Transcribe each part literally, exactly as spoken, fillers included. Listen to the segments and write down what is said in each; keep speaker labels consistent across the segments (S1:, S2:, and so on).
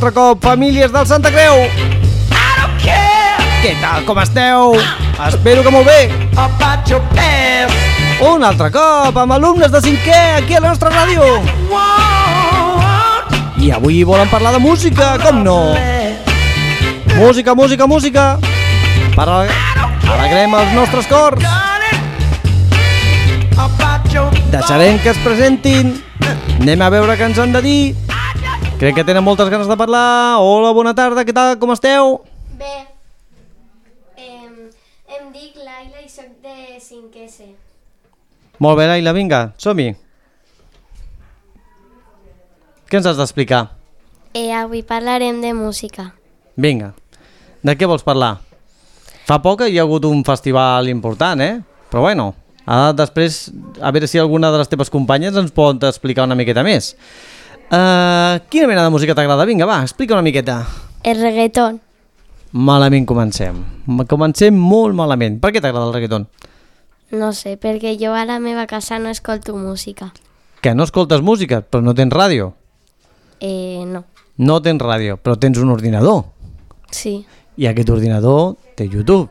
S1: altre cop, famílies del Santa Creu. Què tal, com esteu? Espero que molt bé. Un altre cop, amb alumnes de cinquè aquí a la nostra ràdio. I avui volen parlar de música, com no? Música, música, música. Per alegrem els nostres cors. Deixarem que es presentin. Anem a veure què ens han de dir. Crec que tenen moltes ganes de parlar. Hola, bona tarda, què tal, com esteu?
S2: Bé, em, em dic Laila i soc de cinquè C.
S1: Molt bé, Laila, vinga, som-hi. Què ens has d'explicar?
S2: Eh, avui parlarem de música.
S1: Vinga, de què vols parlar? Fa poc hi ha hagut un festival important, eh? Però bueno, ara després, a veure si alguna de les teves companyes ens pot explicar una miqueta més. Uh, quina mena de música t'agrada? Vinga, va, explica una miqueta.
S2: El reggaeton.
S1: Malament comencem. Comencem molt malament. Per què t'agrada el reggaeton?
S2: No sé, perquè jo a la meva casa no escolto música.
S1: Que no escoltes música, però no tens ràdio?
S2: Eh, no.
S1: No tens ràdio, però tens un ordinador.
S2: Sí.
S1: I aquest ordinador té YouTube.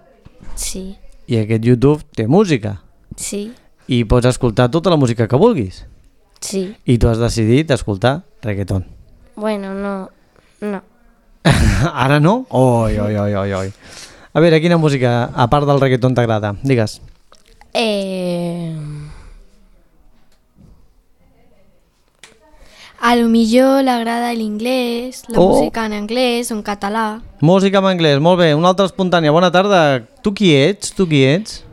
S2: Sí.
S1: I aquest YouTube té música.
S2: Sí.
S1: I pots escoltar tota la música que vulguis.
S2: Sí.
S1: I tu has decidit escoltar reggaeton.
S2: Bueno, no. No.
S1: Ara no? Oi, oi, oi, oi, oi. A veure, quina música, a part del reggaeton, t'agrada? Digues.
S3: Eh... A lo millor l'agrada l'inglès, la
S1: Oh.
S3: música en anglès o en català.
S1: Música en anglès, molt bé. Una altra espontània. Bona tarda. Tu qui ets? Tu qui ets?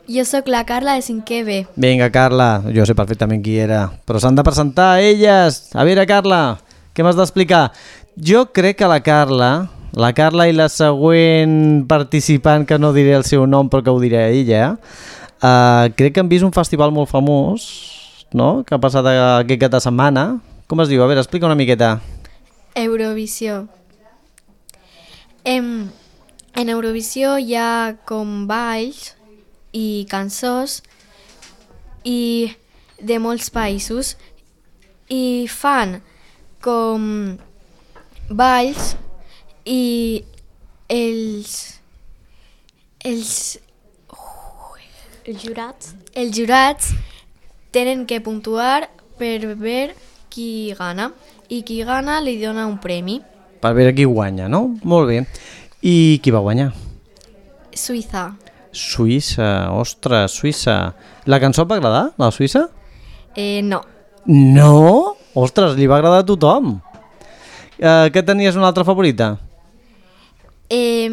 S3: Jo sóc la Carla de cinquè B.
S1: Vinga, Carla. Jo sé perfectament qui era. Però s'han de presentar elles. A veure, Carla, què m'has d'explicar? Jo crec que la Carla, la Carla i la següent participant, que no diré el seu nom però que ho diré ella, uh, crec que han vist un festival molt famós, no?, que ha passat aquest cap de setmana. Com es diu? A veure, explica una miqueta.
S3: Eurovisió. En, en Eurovisió hi ha com balls i cançons i de molts països i fan com balls i els els
S2: Els jurats.
S3: els jurats tenen que puntuar per veure qui gana i qui gana li dona un premi.
S1: Per veure qui guanya, no? Molt bé. I qui va guanyar?
S3: Suïssa.
S1: Suïssa, ostres, Suïssa. La cançó et va agradar, la Suïssa?
S3: Eh, no.
S1: No? Ostres, li va agradar a tothom. Uh, què tenies una altra favorita?
S3: Eh,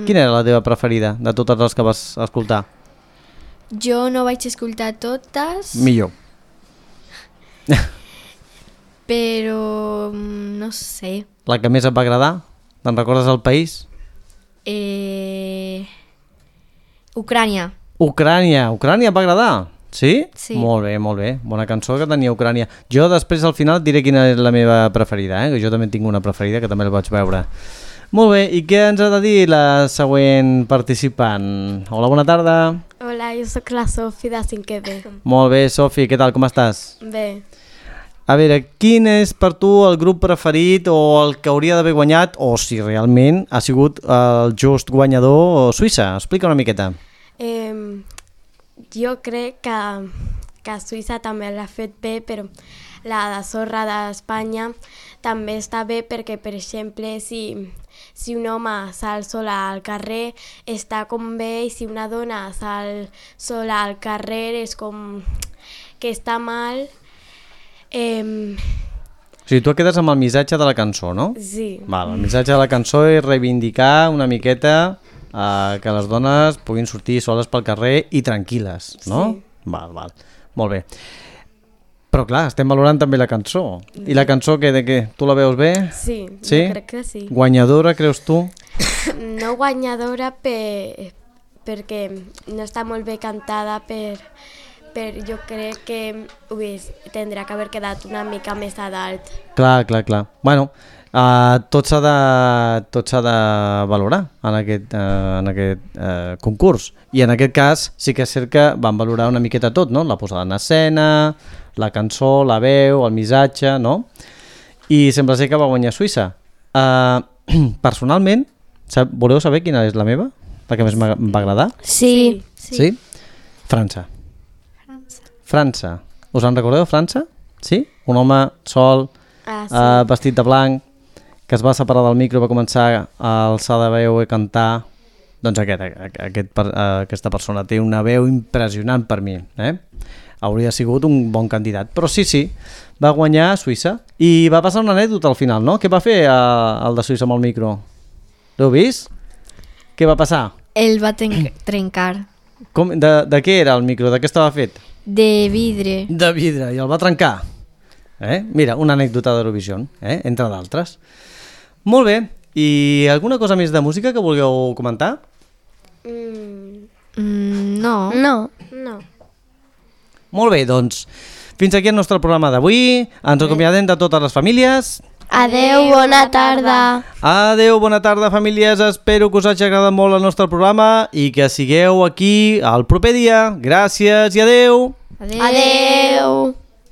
S1: Quina era la teva preferida de totes les que vas escoltar?
S3: jo no vaig escoltar totes,
S1: Millor.
S3: però mm, no sé.
S1: La que més et va agradar? Te'n recordes el país?
S3: Eh, Ucrània.
S1: Ucrània. Ucrània et va agradar? Sí?
S3: Sí.
S1: Molt bé, molt bé. Bona cançó que tenia Ucrània. Jo després al final et diré quina és la meva preferida, eh? Que jo també tinc una preferida que també la vaig veure. Molt bé, i què ens ha de dir la següent participant? Hola, bona tarda.
S2: Hola, jo sóc la Sofi de cinquè B.
S1: Molt bé, Sofi, què tal, com estàs?
S2: Bé.
S1: A veure, quin és per tu el grup preferit o el que hauria d'haver guanyat, o si realment ha sigut el just guanyador Suïssa? Explica una miqueta.
S2: Eh, jo crec que, que Suïssa també l'ha fet bé, però la de sorra d'Espanya també està bé perquè, per exemple, si, si un home sal sola al carrer està com bé, i si una dona sal sola al carrer és com que està mal. Eh,
S1: O sigui, tu et quedes amb el missatge de la cançó, no?
S2: sí.
S1: Val, el missatge de la cançó és reivindicar una miqueta eh, que les dones puguin sortir soles pel carrer i tranquil·les, no?
S2: Sí.
S1: Val, val. Molt bé. Però clar, estem valorant també la cançó. I la cançó, que, de què? Tu la veus bé?
S2: Sí,
S1: Sí?
S2: jo crec que sí.
S1: Guanyadora, creus tu?
S2: No guanyadora per, perquè no està molt bé cantada, per, per jo crec que ui, tindrà que haver quedat una mica més a dalt.
S1: Clar, clar, clar. Bueno, uh, tot s'ha de, tot s'ha de valorar en aquest, uh, en aquest uh, concurs. I en aquest cas sí que és cert que van valorar una miqueta tot, no? La posada en escena, la cançó, la veu, el missatge, no? I sembla ser que va guanyar Suïssa. Uh, personalment, sab voleu saber quina és la meva? La que més em va agradar?
S2: Sí.
S1: Sí? sí? França.
S3: França.
S1: França. Us en recordeu, França? Sí? Un home sol,
S2: Ah, sí.
S1: uh, vestit de blanc, que es va separar del micro i va començar a alçar de veu i cantar. Doncs aquest, aquest, uh, aquesta persona té una veu impressionant per mi. Eh? Hauria sigut un bon candidat. Però sí, sí, va guanyar a Suïssa. I va passar una anècdota al final, no? Què va fer uh, el de Suïssa amb el micro? L'heu vist? Què va passar?
S3: El va tren trencar.
S1: Com, de, de què era el micro? De què estava fet?
S3: De vidre.
S1: De vidre, i el va trencar. Eh? Mira, una anècdota d'Eurovision, eh? Entre d'altres. Molt bé, i alguna cosa més de música que vulgueu comentar?
S2: Mm,
S3: Mm, no.
S2: no. No.
S1: Molt bé, doncs, fins aquí el nostre programa d'avui. Ens acomiadem de totes les famílies.
S2: Adeu, bona tarda.
S1: Adeu, bona tarda, famílies. Espero que us hagi agradat molt el nostre programa i que sigueu aquí el proper dia. Gràcies i adeu.
S3: Adeu.
S2: Adeu.